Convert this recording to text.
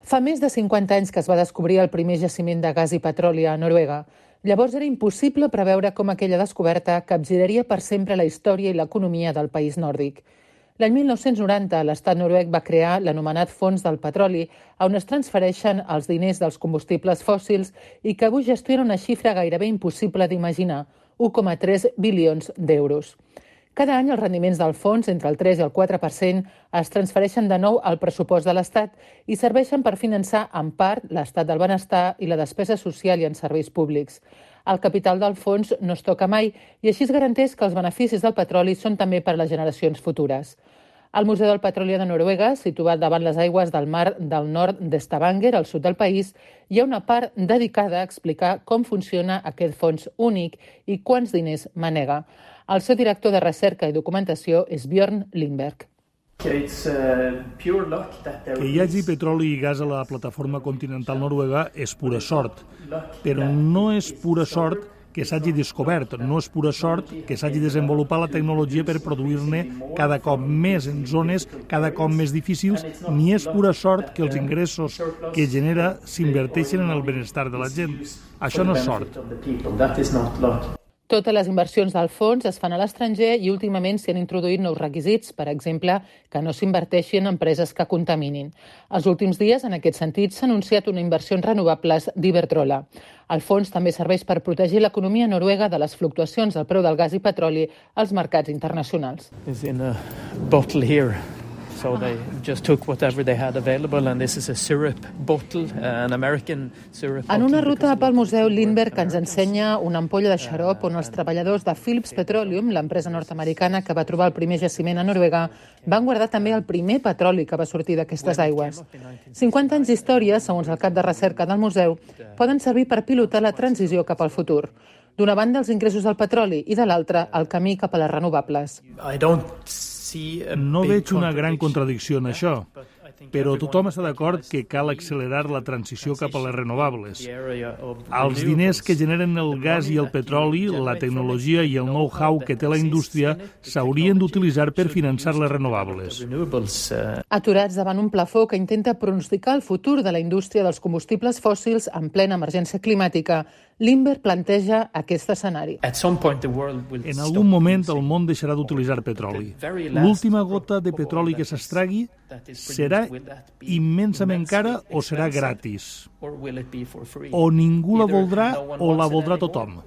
Fa més de 50 anys que es va descobrir el primer jaciment de gas i petroli a Noruega. Llavors era impossible preveure com aquella descoberta capgiraria per sempre la història i l'economia del país nòrdic. L'any 1990, l'estat noruec va crear l'anomenat Fons del Petroli, on es transfereixen els diners dels combustibles fòssils i que avui gestiona una xifra gairebé impossible d'imaginar, 1,3 bilions d'euros. Cada any els rendiments del fons, entre el 3 i el 4%, es transfereixen de nou al pressupost de l'Estat i serveixen per finançar en part l'estat del benestar i la despesa social i en serveis públics. El capital del fons no es toca mai i així es garanteix que els beneficis del petroli són també per a les generacions futures. Al Museu del Petroli de Noruega, situat davant les aigües del mar del nord de Stavanger, al sud del país, hi ha una part dedicada a explicar com funciona aquest fons únic i quants diners manega. El seu director de recerca i documentació és Bjørn Lindberg. Que hi hagi petroli i gas a la plataforma continental noruega és pura sort, però no és pura sort que s'hagi descobert, no és pura sort que s'hagi desenvolupat la tecnologia per produir-ne cada cop més en zones cada cop més difícils, ni és pura sort que els ingressos que genera s'inverteixen en el benestar de la gent. Això no és sort. Totes les inversions del fons es fan a l'estranger i últimament s'hi han introduït nous requisits, per exemple, que no s'inverteixin en empreses que contaminin. Els últims dies, en aquest sentit, s'ha anunciat una inversió en renovables d'Iberdrola. El fons també serveix per protegir l'economia noruega de les fluctuacions del preu del gas i petroli als mercats internacionals. So they just took whatever they had available, and this is a syrup bottle, an American syrup bottle. En una ruta pel Museu, Lindberg ens ensenya una ampolla de xarop on els treballadors de Phillips Petroleum, l'empresa nord-americana que va trobar el primer jaciment a Noruega, van guardar també el primer petroli que va sortir d'aquestes aigües. 50 anys d'història, segons el cap de recerca del museu, poden servir per pilotar la transició cap al futur. D'una banda, els ingressos del petroli i de l'altra, el camí cap a les renovables. No veig una gran contradicció en això, però tothom està d'acord que cal accelerar la transició cap a les renovables. Els diners que generen el gas i el petroli, la tecnologia i el know-how que té la indústria s'haurien d'utilitzar per finançar les renovables. Aturats davant un plafó que intenta pronosticar el futur de la indústria dels combustibles fòssils en plena emergència climàtica, Lindberg planteja aquest escenari. En algun moment el món deixarà d'utilitzar petroli. L'última gota de petroli que s'extragui serà immensament cara o serà gratis? O ningú la voldrà o la voldrà tothom?